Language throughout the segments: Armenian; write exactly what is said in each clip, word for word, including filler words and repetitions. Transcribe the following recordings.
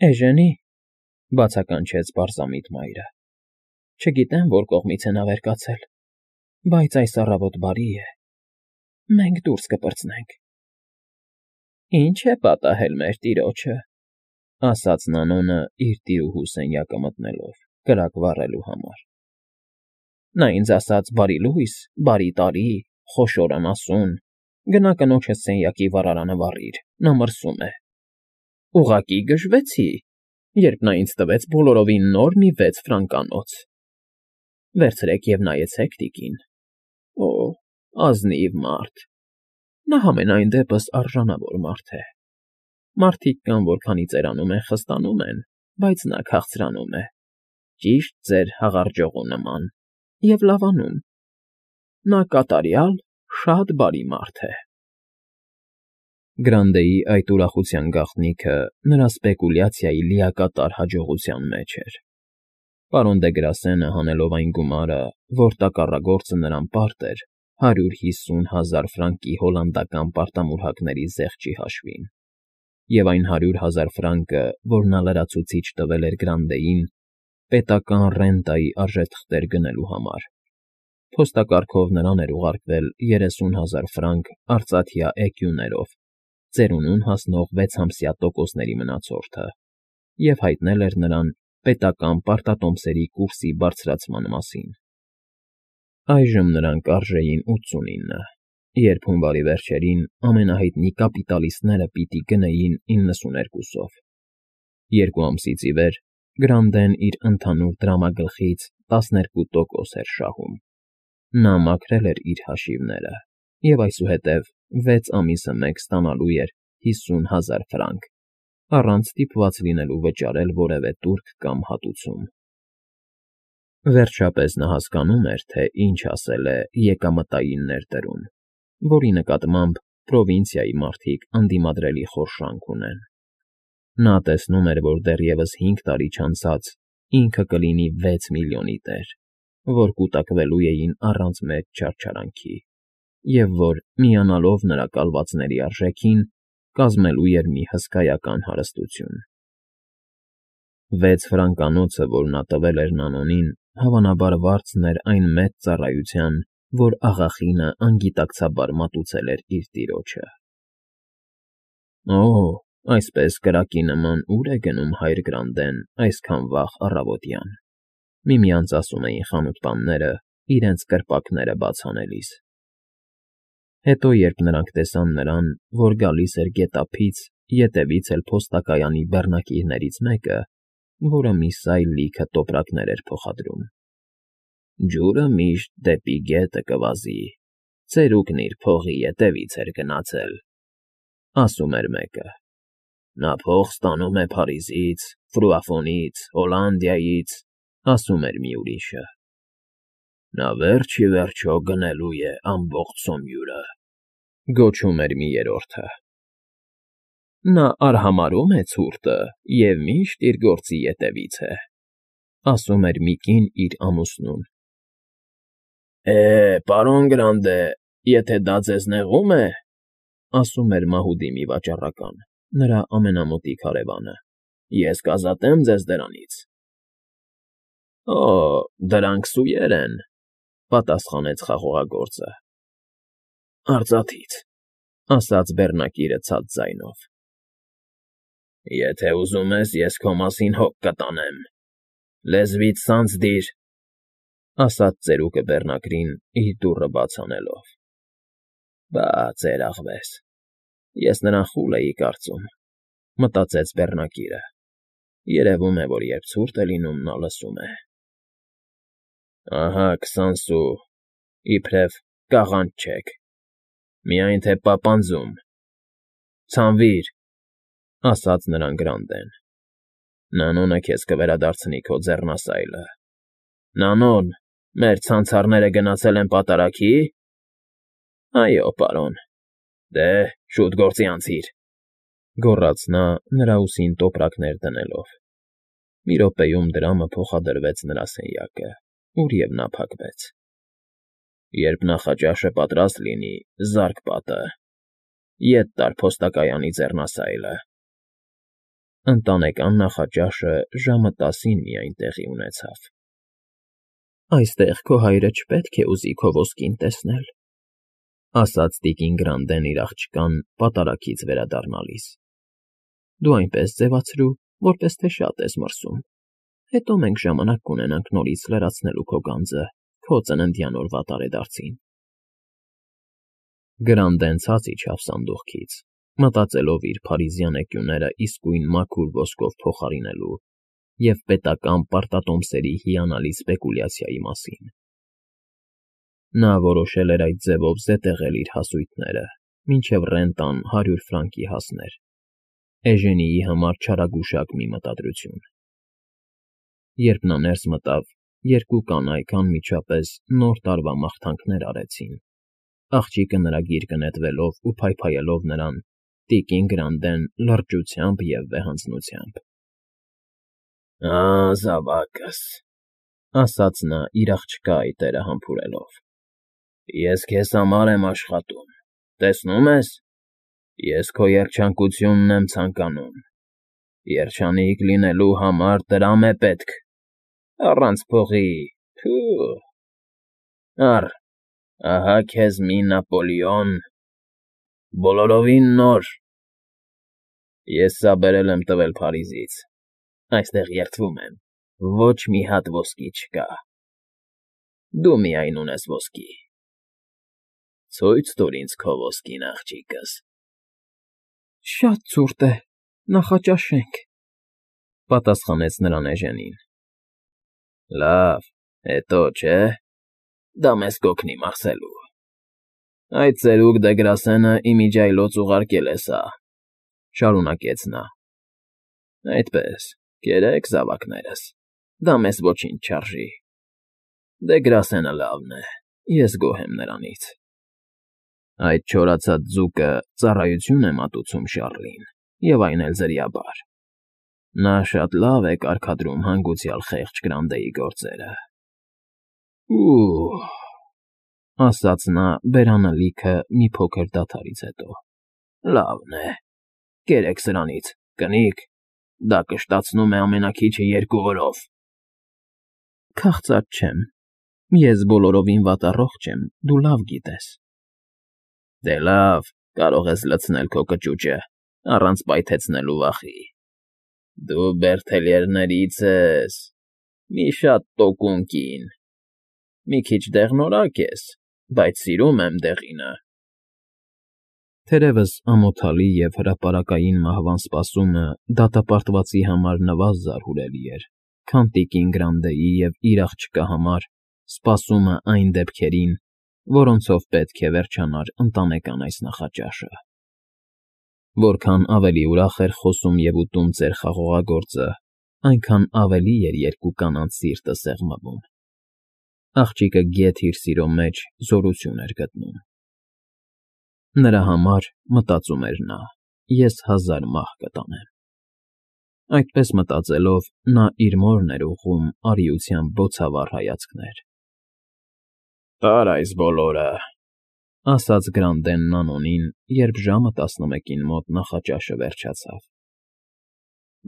Էժենի,֊ բացականչեց պարզամիտ մայրը։֊ Չգիտեմ որ կողմից է նա վեր կացել, բայց այս առավոտ բարի է, մենք դուրս կպրծնենք։ ֊ Ի՞նչ է պատահել մեր տիրոջը,֊ ասաց Նանոնը իր տիրուհու սենյակը մտնելով, կրակ վառելու համար։֊ Նա ինձ ասաց՝ բարի լույս, բարի տարի, խոշոր անասուն, գնա կնոջդ սենյակի վառարանը վառիր, նա մրսում է։ Ուղղակի գժվեցի, երբ նա ինձ տվեց բոլորովին նոր մի վեց ֆրանկանոց։ Վերցրեք և նայեցեք, տիկին, օ՜, ազնիվ մարդ, նա համենայն դեպս արժանավոր մարդ է։ Մարդիկ կան, որ քանի ծերանում են, խստանում են, բայց նա քաղցրանում է, ճիշտ ձեր հաղարջողու նման, և լավանում։ Նա կատարյալ շատ բարի մարդ է։ Գրանդեի այդ ուրախության գաղտնիքը նրա սպեկուլյացիայի լիակատար հաջողության մեջ էր։ Պարոն Դեգրասենը, հանելով այն գումարը, որ տակառագործը նրան պարտ էր հարյուր հիսուն հազար ֆրանկի հոլանդական պարտամուրհակների զեղչի հաշվին, և այն հարյուր հազար ֆրանկը, որ նա լրացուցիչ տվել էր Գրանդեին պետական ռենտայի արժեթղթեր գնելու համար, փոստակարգով նրան էր ուղարկվել երեսուն հազար ֆրանկ արծաթյա էկյուներով ծերունուն հասնող վեցամսյա տոկոսների մնացորդը և հայտնել էր նրան պետական պարտատոմսերի կուրսի բարձրացման մասին։ Այժմ նրանք արժեին ութսունինը, երբ հունվարի վերջերին ամենահայտնի կապիտալիստները պիտի գնեին իննսուներկուսով։ Երկու ամսից ի վեր Գրանդեն իր ընդհանուր դրամագլխից տասներկու տոկոս էր շահում։ Նա մաքրել էր իր հաշիվները և այսուհետև վեց ամիսը մեկ ստանալու էր հիսուն հազար ֆրանկ, առանց ստիպված լինելու վճարել որևէ տուրք կամ հատուցում։ Վերջապես նա հասկանում էր, թե ինչ ասել է եկամտային ներդրում, որի նկատմամբ պրովինցիայի մարդիկ ընդդիմադրելի խորշանք ունեն։ Նա տեսնում էր, որ դեռևս հինգ տարի չանցած ինքը կլինի վեց միլիոնի տեր, որ կուտակվելու էին առանց մեծ չարչարանքի, և որ, միանալով նրա կալվածների արժեքին, կազմելու էր մի հսկայական հարստություն։ Վեց ֆրանկանոցը, որ նա տվել էր Նանոնին, հավանաբար վարձն էր այն մեծ ծառայության, որ աղախինը անգիտակցաբար մատուցել էր իր տիրոջը։ Օ՜, այսպես կրակի նման ո՞ւր է գնում հայր Գրանդեն այսքան վաղ առավոտյան,֊ միմյանց ասում էին խանութպանները, իրենց կրպակները բաց անելիս։ Հետո, երբ նրանք տեսան նրան, որ գալիս էր գետափից, ետևից էլ փոստակայանի բեռնակիցներից մեկը, որը մի սայլ լիքը տոպրակներ էր փոխադրում։ Ջուրը միշտ դեպի գետը կվազի, ծերուկն իր փողի ետևից էր գնացել,֊ ասում էր մեկը։ Նա փող ստանում է Փարիզից, Ֆրուաֆոնից, Հոլանդիայից,֊ ասում էր մի ուրիշը։ Նա վերջ ի վերջո գնելու է ամբողջ Սոմյուրը,֊ գոչում էր մի երրորդը։ Նա արհամարհում է ցուրտը և միշտ իր գործի ետևից է,֊ ասում էր մի կին իր ամուսնուն։ Է, պարոն Գրանդե, եթե դա ձեզ նեղում է,֊ ասում էր մահուդի մի վաճառական, նրա ամենամոտիկ հարևանը,֊ ես կազատեմ ձեզ դրանից։ Օ, դրանք սուեր են,֊ պատասխանեց խաղողագործը։ Արծաթից,֊ ասաց բեռնակիրը ցած ձայնով։ Եթե ուզում ես, ես քո մասին հոգ կտանեմ, լեզվիդ ցանց դիր,֊ ասաց ծերուկը բեռնակրին, իր դուռը բաց անելով։ Բա, ծերաղվես, ես նրան խուլ էի կարծում,֊ մտածեց բեռնակիրը, երևում է, որ երբ ցուրտ է լինում, նա լսում է։ Ահա քսան սու, իբրև կաղանջ չեք, միայն թե պապանձում, ցանվիր,֊ ասաց նրան Գրանդեն։ Նանոնը քեզ կվերադարձնի քո ձեռնասայլը։ Նանոն, մեր ցանցարները գնացել են պատարագի՞։ Այո, պարոն։ Դե, շուտ գործի անցիր,֊ գոռաց նա, նրա ուսին տոպրակներ դնելով։ Մի րոպեում դրամը փոխադրվեց նրա սենյակը, ուր և նա փակվեց։ Երբ նախաճաշը պատրաստ լինի, զա՛րկ պատը, ետ տար փոստակայանի ձեռնասայլը։ Ընտանեկան նախաճաշը ժամը տասին միայն տեղի ունեցավ։ «Այստեղ քո հայրը չպետք է ուզի քո ոսկին տեսնել», ասաց տիկին Գրանդեն իր աղջկան պատարագից վերադառնալիս։ «Դու այնպես ձևացրու, որպես թե շատ ես մրսում, հետո մենք ժամանակ կունենանք նորից լրացնելու քո գանձը քո ծննդյան օրվա տարեդարձին»։ Գրանդեն ցած իջավ սանդուղքից, մտածելով իր փարիզյան էկյուները իսկույն մաքուր ոսկով փոխարինելու և պետական պարտատոմսերի հիանալի սպեկուլյացիայի մասին։ Նա որոշել էր այդ ձևով զետեղել իր հասույթները, մինչև ռենտան հարյուր ֆրանկի հասներ, Էժենիի համար չարագուշակ մի մտադրություն։ Երբ նա ներս մտավ, երկու կանայք անմիջապես Նոր տարվա մաղթանքներ արեցին, աղջիկը նրա գիրկը նետվելով ու փայփայելով նրան, տիկին Գրանդեն լրջությամբ և վեհանձնությամբ։ «Ա՜, զավակս,֊ ասաց նա իր աղջկա այտերը համբուրելով,֊ ես քեզ համար եմ աշխատում, տեսնում ես, ես քո երջանկությունն եմ ցանկանում, երջանիկ լինելու համար տրամ է պետք, առանց փողի… Թո՛ւ… Առ, ահա քեզ մի Նապոլեոն, բոլորովին նոր… Ես սա բերել եմ տվել Փարիզից, այստեղ երդվում եմ, ոչ մի հատ ոսկի չկա… Դու միայն ունես ոսկի… Ցույց տուր ինձ քո ոսկին, աղջիկս»։ «Շատ ցուրտ է, նախաճաշենք,֊ պատասխանեց նրան Էժենին։ «Լավ, հետո, չէ՞, դա մեզ կօգնի մարսելու… Այդ ծերուկ Դեգրասենը իմիջիայլոց ուղարկել է սա,֊ շարունակեց նա։ Այդպես, կերեք, զավակներս, դա մեզ ոչինչ չարժի… Դեգրասենը լավն է, ես գոհ եմ նրանից… Այդ չորացած ձուկը ծառայություն է մատուցում Շառլին, և այն էլ ձրիաբար… Նա շատ լավ է կարգադրում հանգուցյալ խեղճ Գրաննդեի գործերը… Ու՜ւ…֊ ասաց նա բերանը լիքը մի փոքր դադարից հետո,֊ լավն է, կերեք սրանից, կնիկ, դա կշտացնում է ամենաքիչը երկու օրով… Քաղծած չեմ, ես բոլորովին վատառողջ եմ, դու լավ գիտես… Դե լավ, կարող ես լցնել քո կճուճը, առանց պայթեցնելու վախի… Դու Բերթելյերներից ես… Մի շատ տոկուն կին… Մի քիչ դեղնորակ ես, բայց սիրում եմ դեղինը… Թերևս ամոթալի և հրապարակային մահվան սպասումը դատապարտվածի համար նվազ զարհուրելի էր, քան տիկին Գրանդեի և իր աղջկա համար սպասումը այն դեպքերին, որոնցով պետք է վերջանար ընտանեկան այս նախաճաշը։ Որքան ավելի ուրախ էր խոսում և ուտում ծեր խաղողագործը, այնքան ավելի էր երկու կանանց սիրտը սեղմվում։ Աղջիկը գեթ իր սիրո մեջ զորություն էր գտնում։ Նրա համար, մտածում էր նա, ես հազար մահ կտանեմ… Այդպես մտածելով, նա իր մորն էր ուղղում արիությամբ բոցավառ հայացքներ։ «Տար այս բոլորը,֊ ասաց Գրանդենն Անոնին, երբ ժամը տասնմեկին մոտ նախաճաշը վերջացավ,֊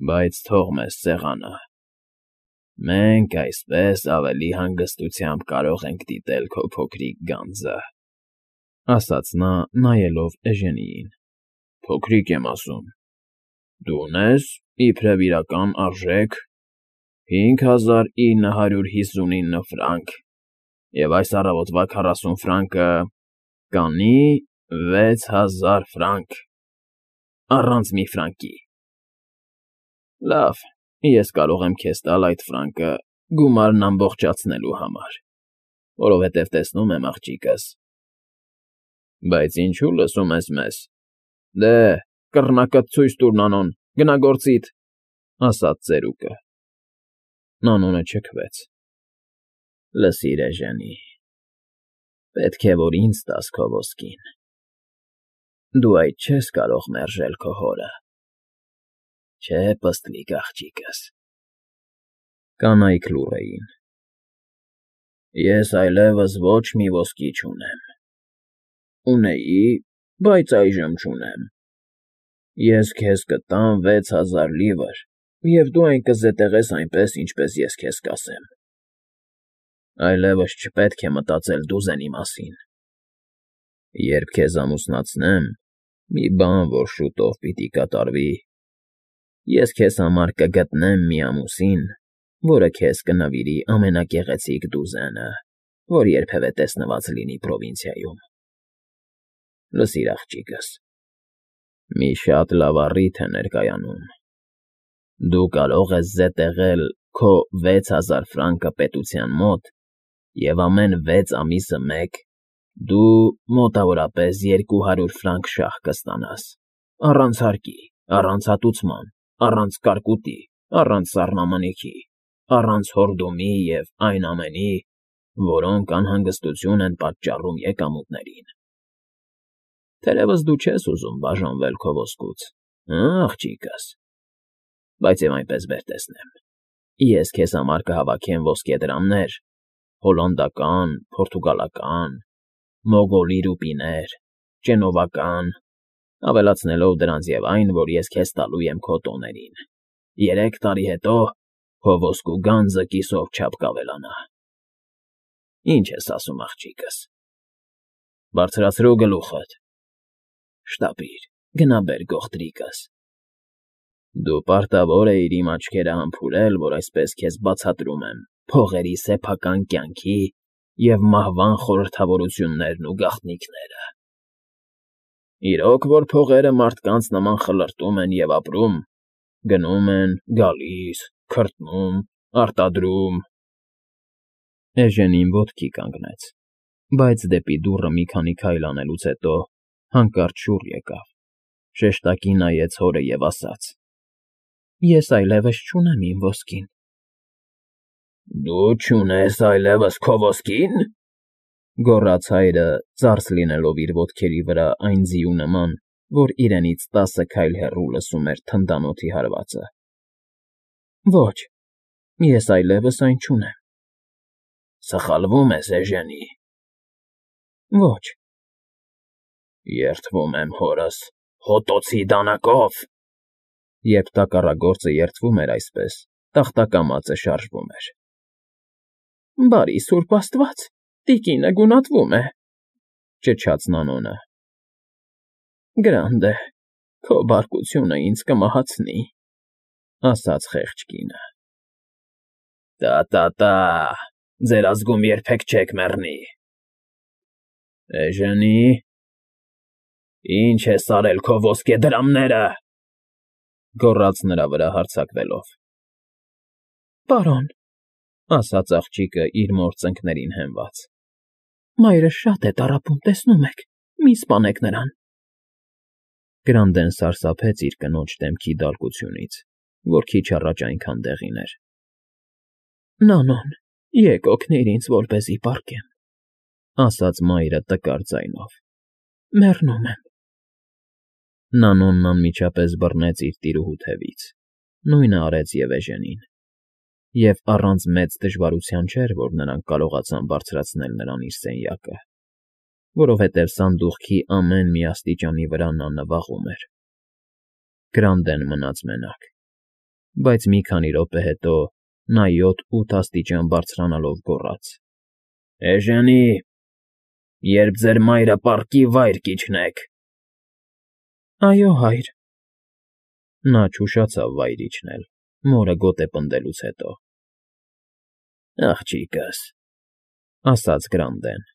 բայց թող մեզ սեղանը… Մենք այսպես ավելի հանգստությամբ կարող ենք դիտել քո փոքրիկ գանձը…»։ Ասաց նա, նայելով Էժենիին,֊ Փոքրիկ եմ ասում… Դու ունե՞ս, իբրև իրական արժեք, հինգ հազար ինը հարյուր հիսունինը ֆրանկ, և այս առավոտվա քառասուն ֆրանկը կանի վեց հազար ֆրանկ… Առանց մի ֆրանկի… Լավ, ես կարող եմ քեզ տալ այդ ֆրանկը գումարն ամբողջացնելու համար, որովհետև տեսնում եմ, աղջիկս… Բայց ինչո՞ւ լսում ես մեզ… Դե, կռնակդ ցույց տուր, Նանոն, գնա գործիդ…֊ ասաց ծերուկը։ Նանոնը չքվեց։ Լսիր, Էժենի, պետք է, որ ինձ տաս քո ոսկին… Դու այդ չես կարող մերժել քո հորը… Չէ՞, պստլիկ աղջիկս… Կանայք լուռ էին։ Ես այլևս ոչ մի ոսկի չունեմ… Ունեի, բայց այժմ չունեմ… Ես քեզ կտամ վեց հազար լիվր, և դու այն կզետեղես այնպես, ինչպես ես քեզ կասեմ. այլևս չպետք է մտածել դուզենի մասին. երբ քեզ ամուսնացնեմ, մի բան, որ շուտով պիտի կատարվի, ես քեզ համար կգտնեմ մի ամուսին, որը քեզ կնվիրի ամենագեղեցիկ դուզենը, որ երբևէ տեսնված լինի պրովինցիայում. լսիր, աղջիկս, մի շատ լավ առիթ է ներկայանում. դու կարող ես զետեղել քո վեց հազար ֆրանկը պետության մոտ և ամեն վեց ամիսը մեկ դու մոտավորապես երկու հարյուր ֆրանկ շահ կստանաս, առանց հարկի, առանց հատուցման, առանց կարկուտի, առանց սառնամանիքի, առանց հորդումի և այն ամենի, որոնք անհանգստություն են պատճառում եկամուտներին. Թերևս դու չես ուզում բաժանվել քո ոսկուց, հը՞, աղջիկս, բայց և այնպես բեր տեսնեմ. ես քեզ համար կհավաքեմ ոսկեդրամներ, հոլանդական, պորտուգալական, մոգոլի ռուպիներ, ճենովական, ավելացնելով դրանց և այն, որ ես քեզ տալու եմ քո տոներին. երեք տարի հետո քո ոսկու գանձը կիսով չափ կավելանա։ Ինչ ես ասում, աղջիկս, բարձրացրու գլուխդ, շտապիր, գնա բեր գողտրիկս, դու պարտավոր էիր իմ աչքերը համբուրել, որ այսպես քեզ բացատրում եմ փողերի սեփական կյանքի և մահվան խորհրդավորություններն ու գաղտնիքները։ Իրոք որ փողերը մարդկանց նման խլրտում են և ապրում, գնում են, գալիս, քրտնում, արտադրում… Էժենին ոտքի կանգնեց, բայց դեպի դուռը մի քանի քայլ անելուց հետո հանկարծ շուռ եկավ, շեշտակի նայեց հորը և ասաց. Ես այլևս չունեմ իմ ոսկին։ Դու չունես այլևս քո ոսկի՞ն,֊ գոռաց հայրը, ձարս լինելով իր ոտքերի վրա այն ձիու նման, որ իրենից տասը քայլ հեռու լսում էր թնդանոթի հարվածը։ Ոչ, ես այլևս այն չունեմ։ Սխալվում ես, էժենի։ Ոչ։ Երդվում եմ հորս, հոտոցի դանակով… Երբ տակառագործը երդվում էր այսպես, տախտակամածը շարժվում էր։ Բարի սուրբ աստված, տիկինը գունատվում է,֊ ճչաց Նանոնը։ Գրանդ է, քո բարկությունը ինձ կմահացնի,֊ ասաց խեղճ կինը։ Տա՛֊տա՛֊տա՛, ձեր ազգում երբեք չեք մեռնի։ Էժենի, ի՞նչ ես արել քո ոսկեդրամները,֊ գոռաց նրա վրա հարձակվելով։ Պարոն,֊ ասաց աղջիկը իր մոր ծնկներին հենված,֊ մայրս շատ է տառապում, տեսնում եք, մի սպանեք նրան… Գրանդեն սարսափեց իր կնոջ դեմքի դարկությունից, որ քիչ առաջ այնքան դեղին էր։ Նանոն, եկ օգնիր ինձ, որպեսզի պառկեմ,֊ ասաց մայրը տկար ձայնով,֊ մեռնում եմ… Նանոնն անմիջապես բռնեց իր տիրուհու թևից, նույնը արեց և էժենին, և առանց մեծ դժվարության չէր, որ նրանք կարողացան բարձրացնել նրան իր սենյակը, որովհետև սանդուղքի ամեն մի աստիճանի վրա նա նվաղում էր։ Գրանդեն մնաց մենակ, բայց մի քանի րոպե հետո նա յոթ֊ութ աստիճան բարձրանալով գոռաց. Էժենի, երբ ձեր մայրը պառկի, վայր կիջնեք… Այո, հայր… Նա չուշացավ վայր իջնել, մորը գոտե պնդելուց հետո։ Աղջիկս,֊ ասաց Գրանդեն,֊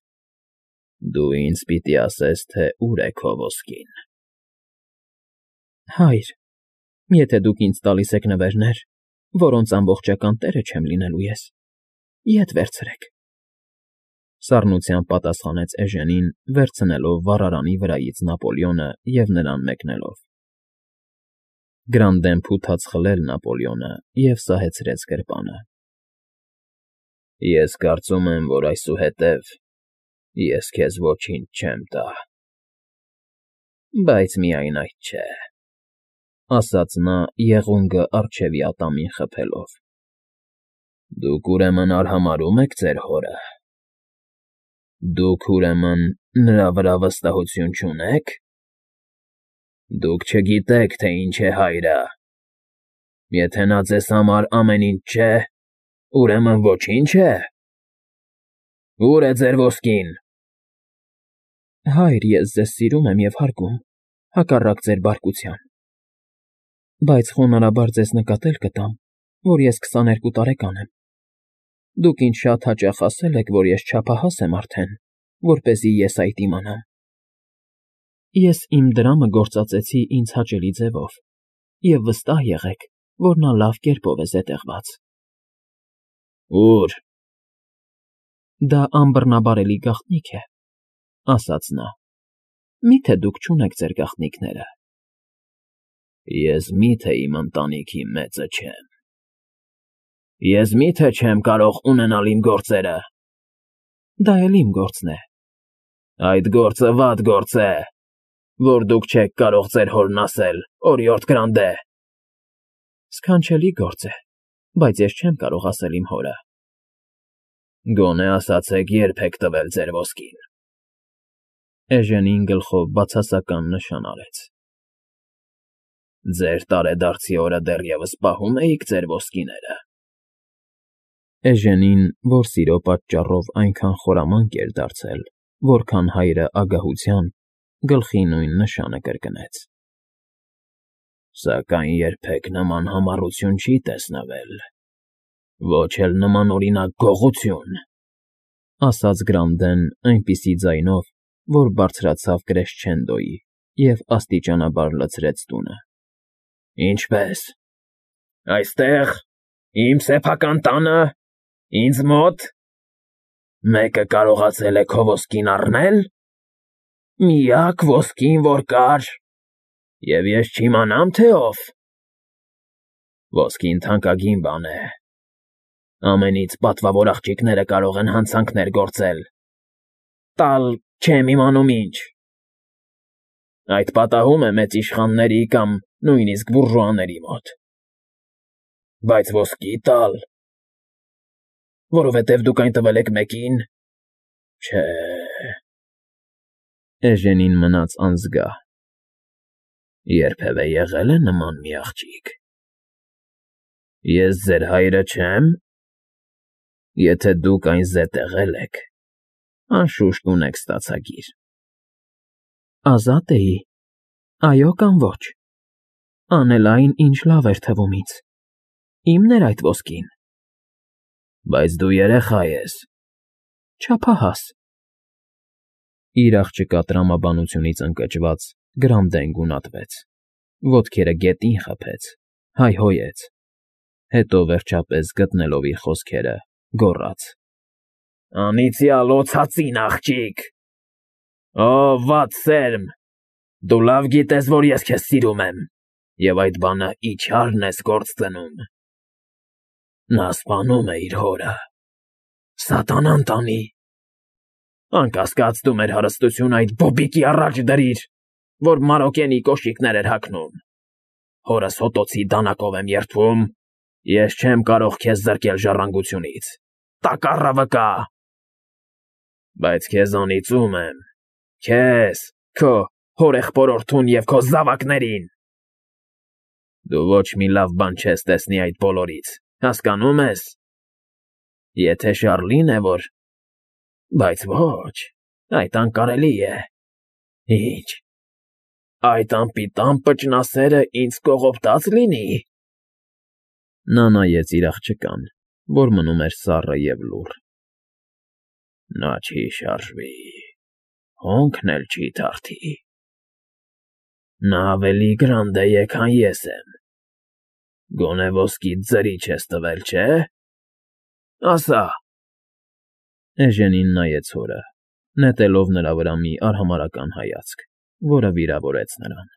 դու ինձ պիտի ասես, թե ուր է քո ոսկին… Հայր, եթե դուք ինձ տալիս եք նվերներ, որոնց ամբողջական տերը չեմ լինելու ես, ետ վերցրեք,֊ սառնությամբ պատասխանեց էժենին, վերցնելով վառարանի վրայից Նապոլեոնը և նրան մեկնելով։ Գրանդեն փութաց խլել Նապոլեոնը և սահեցրեց գրպանը։ Ես կարծում եմ, որ այսուհետև ես քեզ ոչինչ չեմ տա… Բայց միայն այդ չէ,֊ ասաց նա եղունգը առջևի ատամին խփելով,֊ Դուք, ուրեմն, արհամարհո՞ւմ եք ձեր հորը… Դուք, ուրեմն, նրա վրա վստահություն չունե՞ք… Դուք չգիտեք, թե ինչ է հայրը։ Եթե նա ձեզ համար ամեն ինչ չէ, ուրեմն ոչի՞նչ է։ Ո՞ւր է ձեր ոսկին։ Հայր, ես ձեզ սիրում եմ և հարգում, հակառակ ձեր բարկության, բայց խոնարհաբար ձեզ նկատել կտամ, որ ես քսաներկու տարեկան եմ։ Դուք ինձ շատ հաճախ ասել եք, որ ես չափահաս եմ արդեն, որպեսզի ես այդ իմանամ։ Ես իմ դրամը գործածեցի ինձ հաճելի ձևով, և վստահ եղեք, որ նա լավ կերպով է զետեղված։ Ո՞ւր։ Դա անբռնաբարելի գաղտնիք է, ասաց նա։ Մի՞թե դուք չունեք ձեր գաղտնիքները։ Ես մի՞թե իմ ընտանիքի մեծը չեմ։ Ես մի՞թե չեմ կարող ունենալ իմ գործերը։ Դա էլ իմ գործն է։ Այդ գործը վատ գործ է, որ դուք չեք կարող ձեր հորն ասել, օրիորդ Գրանդե։ Սքանչելի գործ է, բայց ես չեմ կարող ասել իմ հորը։ Գոնե ասացեք, երբ եք տվել ձեր ոսկին։ Էժենին գլխով բացասական նշան արեց։ Ձեր տարեդարձի օրը դեռևս պահում էիք ձեր ոսկիները։ Էժենին, որ սիրո պատճառով այնքան խորամանկ էր դարձել, որքան հայրը ագահության, գլխի նույն նշանը կրկնեց։ Սակայն երբեք նման համառություն չի տեսնվել, ոչ էլ նմանօրինակ գողություն, ասաց Գրանդեն այնպիսի ձայնով, որ բարձրացավ կրեսչենդոյի և աստիճանաբար լցրեց տունը։ Ինչպե՞ս։ Այստեղ, իմ սեփական տանը, ինձ մոտ, մեկը կարողացել է քո ոսկին առնել։ Միակ ոսկին, որ կար, և ես չիմանամ, թե ով։ Ոսկին թանկագին բան է։ Ամենից պատվավոր աղջիկները կարող են հանցանքներ գործել, տալ չեմ իմանում ինչ։ Այդ պատահում է մեծ իշխանների կամ նույնիսկ բուրժուաների մոտ։ Բայց ոսկի տալ, որովհետև դուք այն տվել եք մեկին, չէ։ Էժենին մնաց անզգահ։ Երբևէ եղե՞լ է նման մի աղջիկ։ Ես ձեր հայրը չե՞մ։ Եթե դուք այն զետեղել եք, անշուշտ ունեք ստացագիր։ Ազատ էի, այո կամ ոչ։ Անել այն, ինչ լավ էր թվում ինձ։ Իմն էր այդ ոսկին։ Բայց դու երեխա ես։ Չափահաս։ Իր աղջկա տրամաբանությունից ընկճված Գրանդեն գունատվեց, ոտքերը գետին խփեց, հայհոյեց, հետո վերջապես գտնելով իր խոսքերը, գոռաց. Անիծյալ օձածին աղջիկ։ Օ, վատ սերմ, դու լավ գիտես, որ ես քեզ սիրում եմ, և այդ բանը իչարն ես գործ դնում։ Նա սպանում է իր հորը։ Սատանան տանի։ Անկասկած դու մեր հարստությունը այդ բոբիկի առաջ դրիր, որ Մարոկենի կոշիկներ էր հագնում։ Հորս հոտոցի դանակով եմ երդվում, ես չեմ կարող քեզ զրկել ժառանգությունից, տակառը վկա։ Բայց քեզ անիծում եմ, քեզ, քո հորեղբորորդուն և քո զավակներին։ Դու ոչ մի լավ բան չես տեսնի այդ բոլորից, հասկանո՞ւմ ես։ Եթե Շառլին է, որ… Բայց ոչ, այդ անկարելի է։ Ինչ, այդ անպիտան պճնասերը ինձ կողոպտած լինի։ Նա նայեց իր աղջկան, որ մնում էր սառը և լուռ։ Նա չի շարժվի, հոնքն էլ չի թարթի։ Նա ավելի Գրանդե է, քան ես եմ։ Գոնե ոսկիդ ձրի չես տվել, չէ՞։ Ասա։ Էժենին նայեց հորը, նետելով նրա վրա մի արհամարհական հայացք, որը վիրավորեց նրան։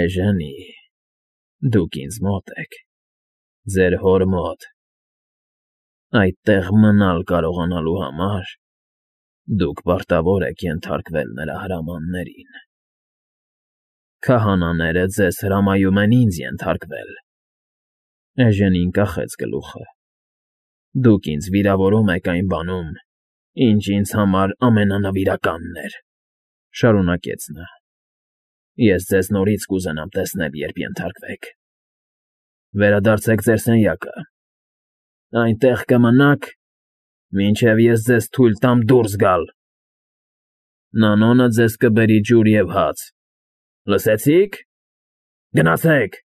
Էժենի, դուք ինձ մոտ եք, ձեր հոր մոտ։ Այդտեղ մնալ կարողանալու համար դուք պարտավոր եք ենթարկվել նրա հրամաններին։ Քահանաները ձեզ հրամայում են ինձ ենթարկվել։ Էժենին կախեց գլուխը։ Դուք ինձ վիրավորում եք այն բանում, ինչ ինձ համար ամենանվիրականն էր, շարունակեց նա։ Ես ձեզ նորից կուզենամ տեսնել, երբ ենթարկվեք։ Վերադարձեք ձեր սենյակը, այնտեղ կմնաք, մինչև ես ձեզ թույլ տամ դուրս գալ։ Նանոնը ձեզ կբերի ջուր և հաց, լսեցի՞ք։ Գնացեք։